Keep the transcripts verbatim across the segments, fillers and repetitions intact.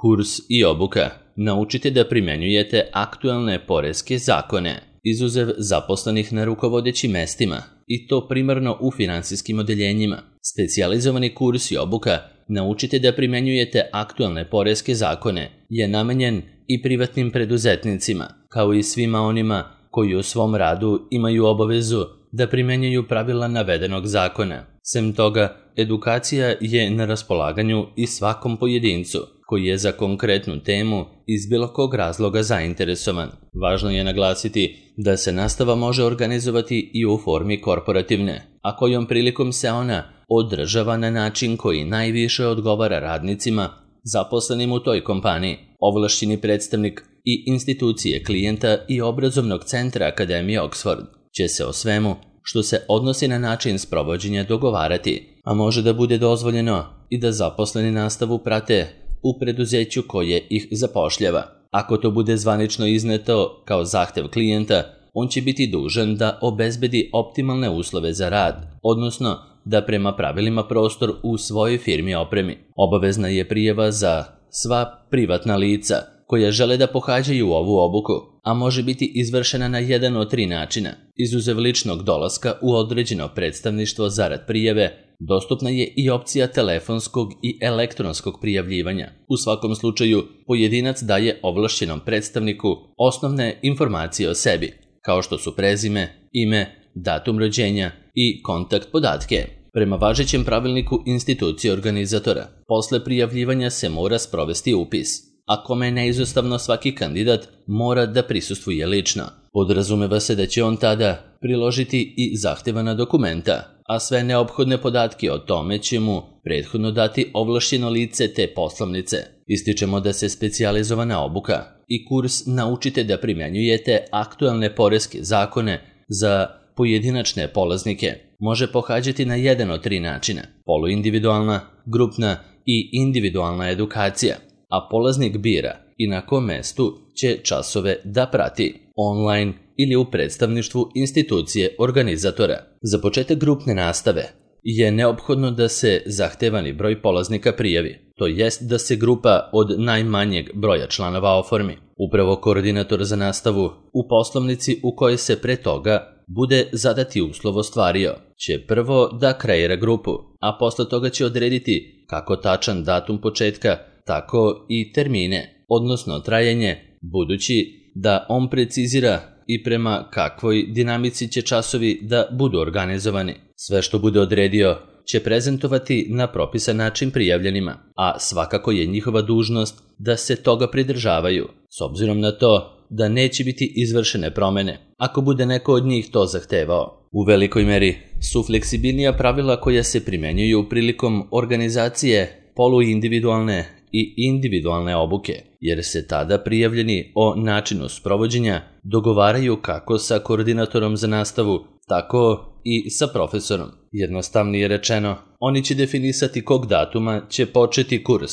Kurs i obuka. Naučite da primenjujete aktualne poreske zakone, izuzev zaposlenih na rukovodećim mestima, i to primarno u finansijskim odeljenjima. Specijalizovani kurs i obuka Naučite da primenjujete aktualne poreske zakone je namenjen i privatnim preduzetnicima, kao i svima onima koji u svom radu imaju obavezu da primenjuju pravila navedenog zakona. Sem toga, edukacija je na raspolaganju i svakom pojedincu koji je za konkretnu temu iz bilo kog razloga zainteresovan. Važno je naglasiti da se nastava može organizovati i u formi korporativne, a kojom prilikom se ona održava na način koji najviše odgovara radnicima zaposlenim u toj kompaniji. Ovlašćeni predstavnik i institucije klijenta i obrazovnog centra Akademije Oxford će se o svemu što se odnosi na način sprovođenja dogovarati, a može da bude dozvoljeno i da zaposleni nastavu prate u preduzeću koje ih zapošljava. Ako to bude zvanično izneto kao zahtev klijenta, on će biti dužan da obezbedi optimalne uslove za rad, odnosno da prema pravilima prostor u svojoj firmi opremi. Obavezna je prijava za sva privatna lica koja žele da pohađaju ovu obuku, a može biti izvršena na jedan od tri načina. Izuzev ličnog dolaska u određeno predstavništvo zarad prijave, dostupna je i opcija telefonskog i elektronskog prijavljivanja. U svakom slučaju, pojedinac daje ovlašćenom predstavniku osnovne informacije o sebi, kao što su prezime, ime, datum rođenja i kontakt podatke. Prema važećem pravilniku institucije organizatora, posle prijavljivanja se mora sprovesti upis, a kome je neizostavno svaki kandidat mora da prisustvuje lično. Podrazumeva se da će on tada priložiti i zahtevana dokumenta, a sve neophodne podatke o tome će mu prethodno dati ovlašćeno lice te poslovnice. Ističemo da se specijalizovana obuka i kurs Naučite da primenjujete aktualne poreske zakone za pojedinačne polaznike može pohađati na jedan od tri načina: poluindividualna, grupna i individualna edukacija, a polaznik bira i na kom mestu će časove da prati, online ili u predstavništvu institucije organizatora. Za početak grupne nastave je neophodno da se zahtevani broj polaznika prijavi, to jest da se grupa od najmanjeg broja članova oformi. Upravo koordinator za nastavu u poslovnici u kojoj se pre toga bude zadati uslov ostvario će prvo da kreira grupu, a posle toga će odrediti kako tačan datum početka, tako i termine, odnosno trajanje, budući da on precizira i prema kakvoj dinamici će časovi da budu organizovani. Sve što bude odredio će prezentovati na propisan način prijavljenima, a svakako je njihova dužnost da se toga pridržavaju, s obzirom na to da neće biti izvršene promene, ako bude neko od njih to zahtevao. U velikoj meri su fleksibilnija pravila koja se primenjuju prilikom organizacije poluindividualne i individualne obuke, jer se tada prijavljeni o načinu sprovođenja dogovaraju kako sa koordinatorom za nastavu, tako i sa profesorom. Jednostavnije rečeno, oni će definisati kog datuma će početi kurs,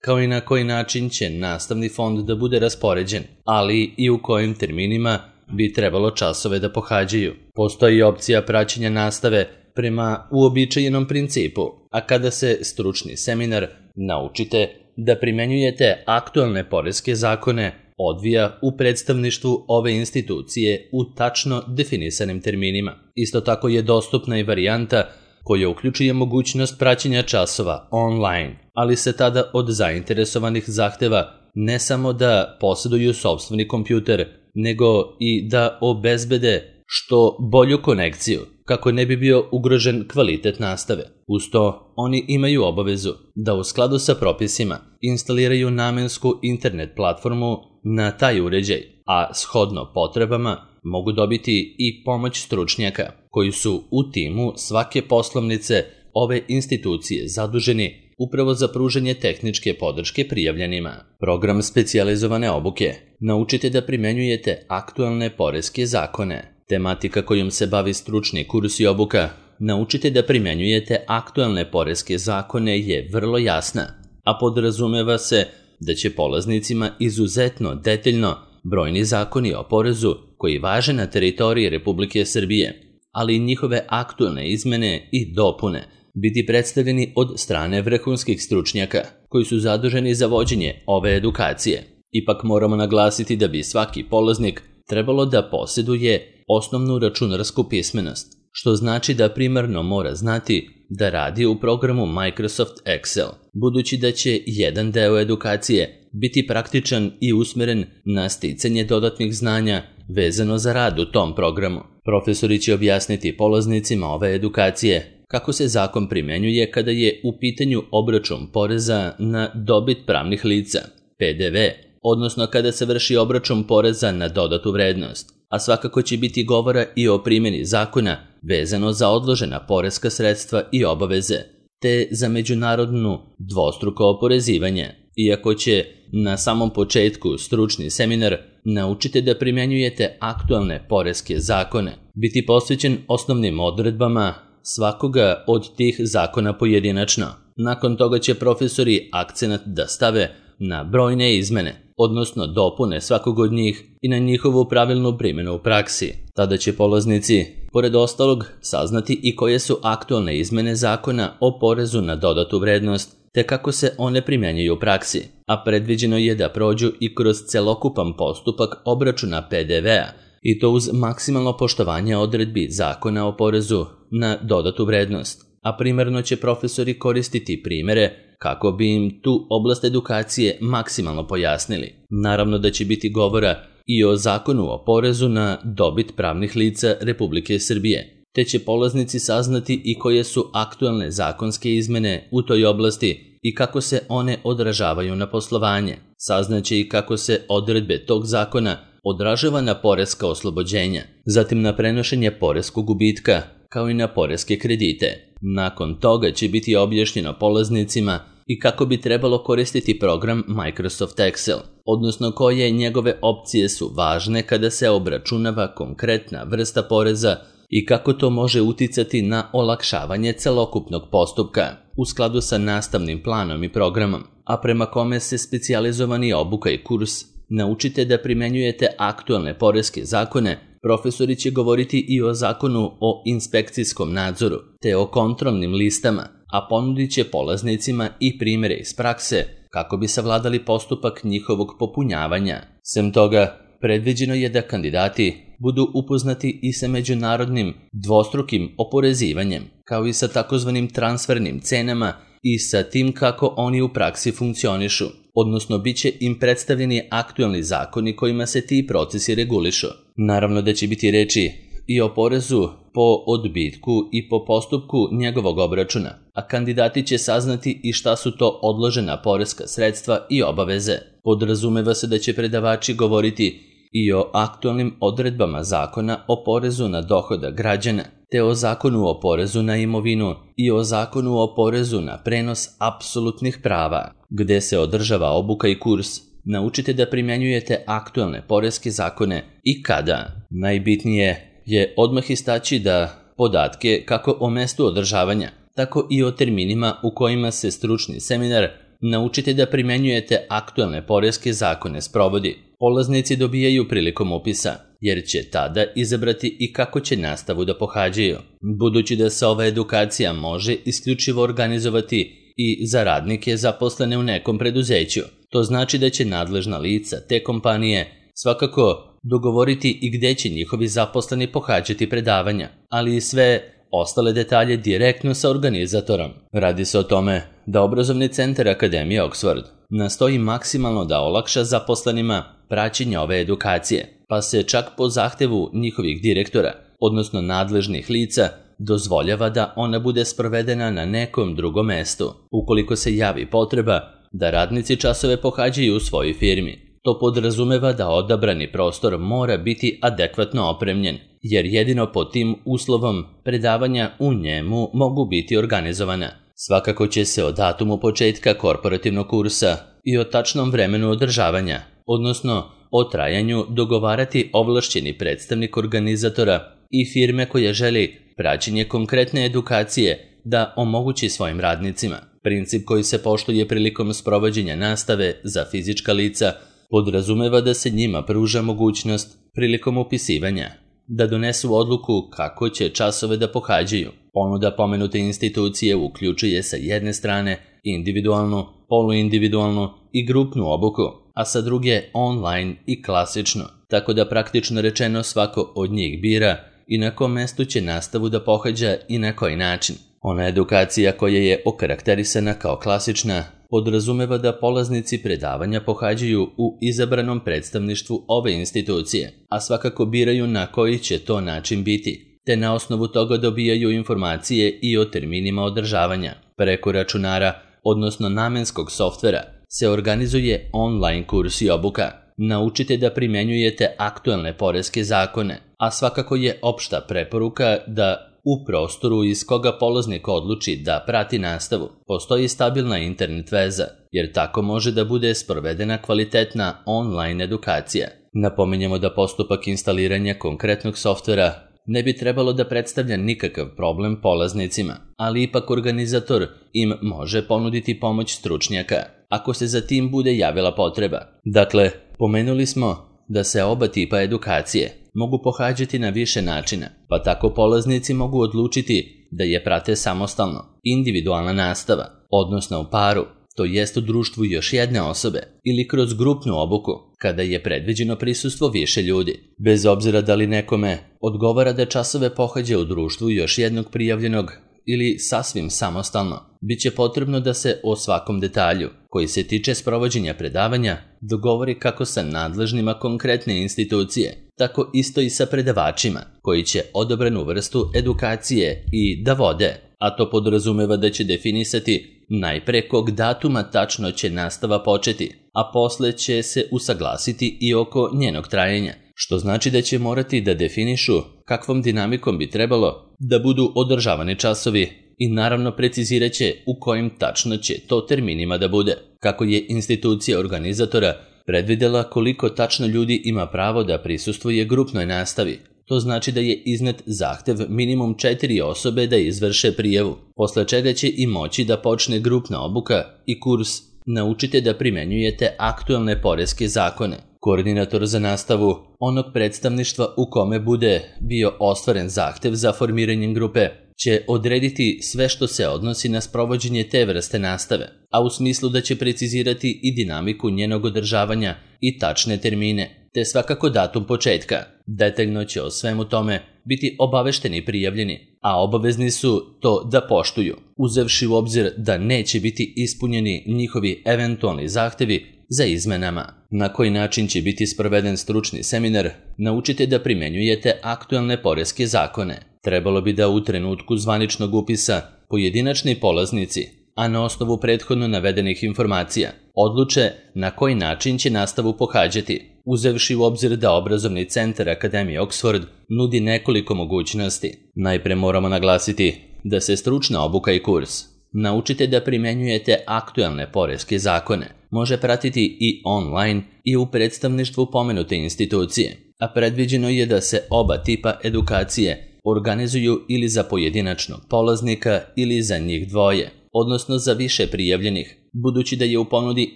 kao i na koji način će nastavni fond da bude raspoređen, ali i u kojim terminima bi trebalo časove da pohađaju. Postoji opcija praćenja nastave prema uobičajenom principu, a kada se stručni seminar Naučite da primenjujete aktualne poreske zakone odvija u predstavništvu ove institucije u tačno definisanim terminima. Isto tako je dostupna i varijanta koja uključuje mogućnost praćenja časova online, ali se tada od zainteresovanih zahteva ne samo da posjeduju sopstveni kompjuter, nego i da obezbede što bolju konekciju, kako ne bi bio ugrožen kvalitet nastave. Uz to, oni imaju obavezu da u skladu sa propisima instaliraju namensku internet platformu na taj uređaj, a shodno potrebama mogu dobiti i pomoć stručnjaka koji su u timu svake poslovnice ove institucije zaduženi upravo za pružanje tehničke podrške prijavljenima. Program specijalizovane obuke Naučite da primenjujete aktualne poreske zakone. Tematika kojom se bavi stručni kurs i obuka Naučite da primenjujete aktualne poreske zakone je vrlo jasna, a podrazumeva se da će polaznicima izuzetno detaljno brojni zakoni o porezu koji važe na teritoriji Republike Srbije, ali i njihove aktualne izmene i dopune biti predstavljeni od strane vrhunskih stručnjaka koji su zaduženi za vođenje ove edukacije. Ipak moramo naglasiti da bi svaki polaznik trebalo da posjeduje osnovnu računarsku pismenost, što znači da primarno mora znati da radi u programu Microsoft Excel, budući da će jedan deo edukacije biti praktičan i usmeren na sticanje dodatnih znanja vezano za rad u tom programu. Profesori će objasniti polaznicima ove edukacije kako se zakon primjenjuje kada je u pitanju obračun poreza na dobit pravnih lica, P D V, odnosno kada se vrši obračun poreza na dodatu vrednost, a svakako će biti govora i o primjeni zakona vezano za odložena poreska sredstva i obaveze, te za međunarodnu dvostruko oporezivanje. Iako će na samom početku stručni seminar Naučite da primjenjujete aktualne poreske zakone biti posvećen osnovnim odredbama svakoga od tih zakona pojedinačno. Nakon toga će profesori akcenat da stave na brojne izmene, odnosno dopune svakog od njih i na njihovu pravilnu primjenu u praksi. Tada će polaznici, pored ostalog, saznati i koje su aktualne izmene zakona o porezu na dodatu vrednost, te kako se one primjenjuju u praksi, a predviđeno je da prođu i kroz celokupan postupak obračuna P D V-a, i to uz maksimalno poštovanje odredbi zakona o porezu na dodatu vrednost, a primarno će profesori koristiti primere kako bi im tu oblast edukacije maksimalno pojasnili. Naravno da će biti govora i o zakonu o porezu na dobit pravnih lica Republike Srbije, te će polaznici saznati i koje su aktualne zakonske izmene u toj oblasti i kako se one odražavaju na poslovanje. Saznaće i kako se odredbe tog zakona odražava na poreska oslobođenja, zatim na prenošenje poreskog gubitka, kao i na poreske kredite. Nakon toga će biti objašnjeno polaznicima i kako bi trebalo koristiti program Microsoft Excel, odnosno koje njegove opcije su važne kada se obračunava konkretna vrsta poreza i kako to može uticati na olakšavanje celokupnog postupka u skladu sa nastavnim planom i programom, a prema kome se specijalizovani obuka i kurs Naučite da primjenjujete aktualne poreske zakone. Profesori će govoriti i o zakonu o inspekcijskom nadzoru, te o kontrolnim listama, a ponudit će polaznicima i primjere iz prakse kako bi savladali postupak njihovog popunjavanja. Sem toga, predviđeno je da kandidati budu upoznati i sa međunarodnim dvostrukim oporezivanjem, kao i sa takozvanim transfernim cenama i sa tim kako oni u praksi funkcionišu, odnosno bit će im predstavljeni aktualni zakoni kojima se ti procesi regulišu. Naravno da će biti reči i o porezu po odbitku i po postupku njegovog obračuna, a kandidati će saznati i šta su to odložena poreska sredstva i obaveze. Podrazumeva se da će predavači govoriti i o aktualnim odredbama zakona o porezu na dohodak građana, te o zakonu o porezu na imovinu i o zakonu o porezu na prenos apsolutnih prava, gde se održava obuka i kurs Naučite da primjenjujete aktualne poreske zakone i kada. Najbitnije je odmah istaći da podatke kako o mestu održavanja, tako i o terminima u kojima se stručni seminar Naučite da primjenjujete aktualne poreske zakone sprovodi, polaznici dobijaju prilikom upisa, jer će tada izabrati i kako će nastavu da pohađaju. Budući da se ova edukacija može isključivo organizovati i za radnike zaposlene u nekom preduzeću, to znači da će nadležna lica te kompanije svakako dogovoriti i gde će njihovi zaposleni pohađati predavanja, ali i sve ostale detalje direktno sa organizatorom. Radi se o tome da obrazovni centar Akademije Oxford nastoji maksimalno da olakša zaposlenima praćenje ove edukacije, pa se čak po zahtevu njihovih direktora, odnosno nadležnih lica, dozvoljava da ona bude sprovedena na nekom drugom mestu, ukoliko se javi potreba da radnici časove pohađaju u svojoj firmi. To podrazumeva da odabrani prostor mora biti adekvatno opremljen, jer jedino pod tim uslovom predavanja u njemu mogu biti organizovana. Svakako će se o datumu početka korporativnog kursa i o tačnom vremenu održavanja, odnosno o trajanju, dogovarati ovlašćeni predstavnik organizatora i firme koja želi praćenje konkretne edukacije da omogući svojim radnicima. Princip koji se poštuje prilikom sprovođenja nastave za fizička lica podrazumeva da se njima pruža mogućnost prilikom upisivanja da donesu odluku kako će časove da pohađaju. Ponuda pomenute institucije uključuje sa jedne strane individualnu, poluindividualnu i grupnu obuku, a sa druge online i klasičnu, tako da praktično rečeno svako od njih bira i na kom mestu će nastavu da pohađa i na koji način. Ona edukacija koja je okarakterisana kao klasična podrazumeva da polaznici predavanja pohađaju u izabranom predstavništvu ove institucije, a svakako biraju na koji će to način biti, te na osnovu toga dobijaju informacije i o terminima održavanja. Preko računara, odnosno namenskog softvera, se organizuje online kurs i obuka. Naučite da primenjujete aktuelne poreske zakone, a svakako je opšta preporuka da u prostoru iz koga polaznik odluči da prati nastavu postoji stabilna internet veza, jer tako može da bude sprovedena kvalitetna online edukacija. Napominjemo da postupak instaliranja konkretnog softvera ne bi trebalo da predstavlja nikakav problem polaznicima, ali ipak organizator im može ponuditi pomoć stručnjaka ako se za tim bude javila potreba. Dakle, pomenuli smo da se oba tipa edukacije mogu pohađati na više načina, pa tako polaznici mogu odlučiti da je prate samostalno, individualna nastava, odnosno u paru, to jest u društvu još jedne osobe, ili kroz grupnu obuku, kada je predviđeno prisustvo više ljudi. Bez obzira da li nekome odgovara da časove pohađa u društvu još jednog prijavljenog ili sasvim samostalno, bit će potrebno da se o svakom detalju, koji se tiče sprovođenja predavanja, dogovori kako sa nadležnima konkretne institucije, tako isto i sa predavačima, koji će odabranu vrstu edukacije i da vode, a to podrazumeva da će definisati najpre kog datuma tačno će nastava početi, a posle će se usaglasiti i oko njenog trajanja, što znači da će morati da definišu kakvom dinamikom bi trebalo da budu održavani časovi i naravno precizirat će u kojim tačno će to terminima da bude. Kako je institucija organizatora predvidela koliko tačno ljudi ima pravo da prisustvuje grupnoj nastavi, to znači da je iznet zahtev minimum četiri osobe da izvrše prijavu, posle čega će i moći da počne grupna obuka i kurs Naučite da primenjujete aktuelne poreske zakone. Koordinator za nastavu onog predstavništva u kome bude bio ostvaren zahtev za formiranjem grupe će odrediti sve što se odnosi na sprovođenje te vrste nastave, a u smislu da će precizirati i dinamiku njenog održavanja i tačne termine, te svakako datum početka. Detaljno će o svemu tome biti obavešteni prijavljeni, a obavezni su to da poštuju, uzevši u obzir da neće biti ispunjeni njihovi eventualni zahtevi za izmenama. Na koji način će biti sproveden stručni seminar, naučite da primenjujete aktuelne poreske zakone. Trebalo bi da u trenutku zvaničnog upisa pojedinačni polaznici, a na osnovu prethodno navedenih informacija, odluče na koji način će nastavu pohađati, uzevši u obzir da obrazovni centar Akademije Oxford nudi nekoliko mogućnosti. Najpre moramo naglasiti da se stručna obuka i kurs Naučite da primenjujete aktuelne poreske zakone može pratiti i online i u predstavništvu pomenute institucije, a predviđeno je da se oba tipa edukacije organizuju ili za pojedinačnog polaznika ili za njih dvoje, odnosno za više prijavljenih, budući da je u ponudi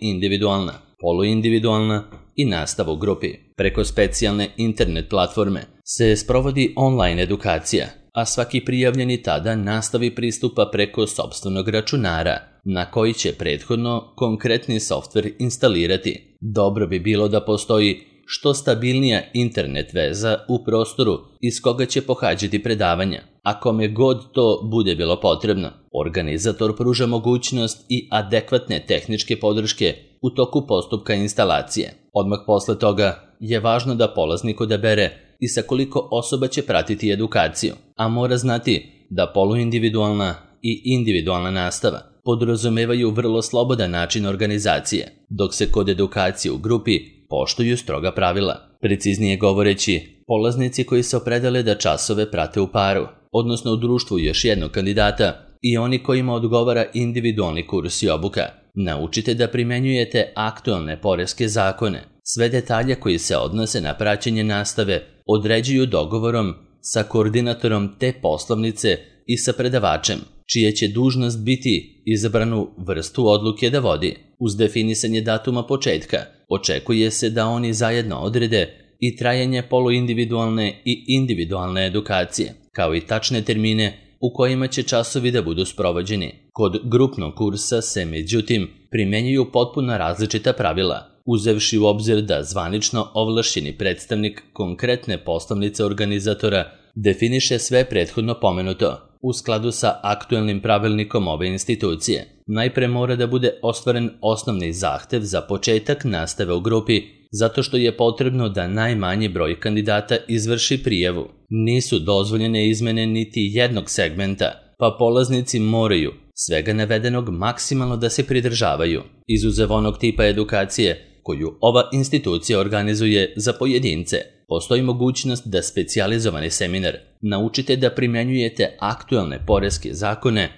individualna, poluindividualna i nastava u grupi. Preko specijalne internet platforme se sprovodi online edukacija, a svaki prijavljeni tada nastavi pristupa preko sopstvenog računara, na koji će prethodno konkretni softver instalirati. Dobro bi bilo da postoji što stabilnija internet veza u prostoru iz koga će pohađati predavanja. A kome god to bude bilo potrebno, organizator pruža mogućnost i adekvatne tehničke podrške u toku postupka instalacije. Odmah posle toga je važno da polaznik odabere i sa koliko osoba će pratiti edukaciju, a mora znati da poluindividualna i individualna nastava podrazumevaju vrlo slobodan način organizacije, dok se kod edukacije u grupi poštuju stroga pravila. Preciznije govoreći, polaznici koji se opredele da časove prate u paru, odnosno u društvu još jednog kandidata, i oni kojima odgovara individualni kurs i obuka, naučite da primenjujete aktuelne poreske zakone. Sve detalje koji se odnose na praćenje nastave određuju dogovorom sa koordinatorom te poslovnice i sa predavačem, čija će dužnost biti izabranu vrstu odluke da vodi. Uz definisanje datuma početka, očekuje se da oni zajedno odrede i trajanje poluindividualne i individualne edukacije, kao i tačne termine u kojima će časovi da budu sprovođeni. Kod grupnog kursa se, međutim, primenjuju potpuno različita pravila, uzevši u obzir da zvanično ovlašćeni predstavnik konkretne poslovnice organizatora definiše sve prethodno pomenuto u skladu sa aktuelnim pravilnikom ove institucije. Najpre mora da bude ostvaren osnovni zahtev za početak nastave u grupi, zato što je potrebno da najmanji broj kandidata izvrši prijavu. Nisu dozvoljene izmene niti jednog segmenta, pa polaznici moraju svega navedenog maksimalno da se pridržavaju, izuzev onog tipa edukacije koju ova institucija organizuje za pojedince. Postoji mogućnost da specijalizovani seminar naučite da primjenjujete aktuelne poreske zakone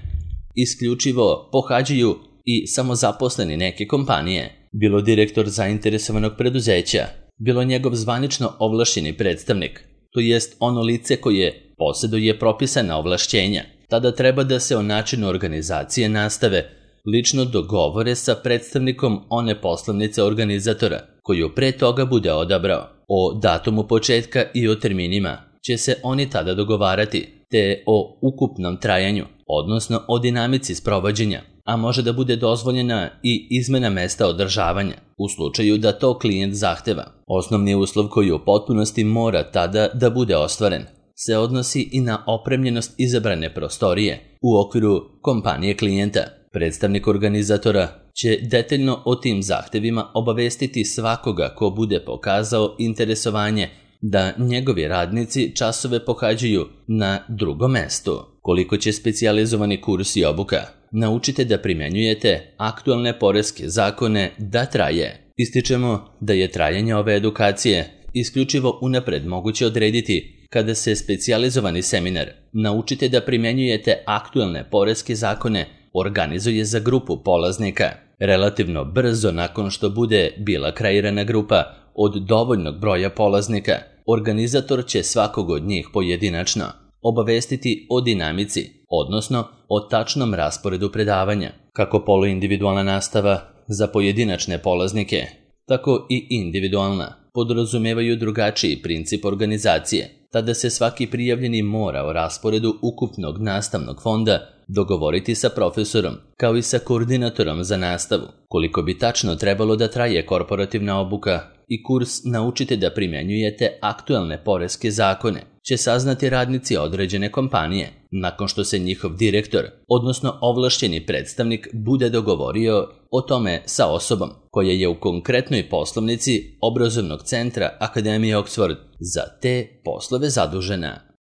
isključivo pohađaju i samozaposleni neke kompanije, bilo direktor zainteresovanog preduzeća, bilo njegov zvanično ovlašćeni predstavnik, to jest ono lice koje posjeduje propisana ovlašćenja. Tada treba da se o načinu organizacije nastave lično dogovore sa predstavnikom one poslovnice organizatora, koju pre toga bude odabrao. O datumu početka i o terminima će se oni tada dogovarati, te o ukupnom trajanju, odnosno o dinamici sprovođenja, a može da bude dozvoljena i izmena mesta održavanja, u slučaju da to klijent zahteva. Osnovni uslov koji u potpunosti mora tada da bude ostvaren se odnosi i na opremljenost izabrane prostorije u okviru kompanije klijenta. Predstavnik organizatora će detaljno o tim zahtevima obavestiti svakoga ko bude pokazao interesovanje da njegovi radnici časove pohađaju na drugom mestu. Koliko će specijalizovani kurs i obuka naučite da primjenjujete aktualne poreske zakone da traje. Ističemo da je trajanje ove edukacije isključivo unapred moguće odrediti kada se specijalizovani seminar naučite da primjenjujete aktualne poreske zakone organizuje za grupu polaznika. Relativno brzo nakon što bude bila kreirana grupa od dovoljnog broja polaznika, organizator će svakog od njih pojedinačno obavestiti o dinamici, odnosno o tačnom rasporedu predavanja. Kako poluindividualna nastava za pojedinačne polaznike, tako i individualna podrazumevaju drugačiji princip organizacije. Tada se svaki prijavljeni mora o rasporedu ukupnog nastavnog fonda dogovoriti sa profesorom, kao i sa koordinatorom za nastavu. Koliko bi tačno trebalo da traje korporativna obuka i kurs naučite da primjenjujete aktuelne poreske zakone, će saznati radnici određene kompanije, nakon što se njihov direktor, odnosno ovlašćeni predstavnik, bude dogovorio o tome sa osobom koja je u konkretnoj poslovnici obrazovnog centra Akademije Oxford za te poslove zadužena.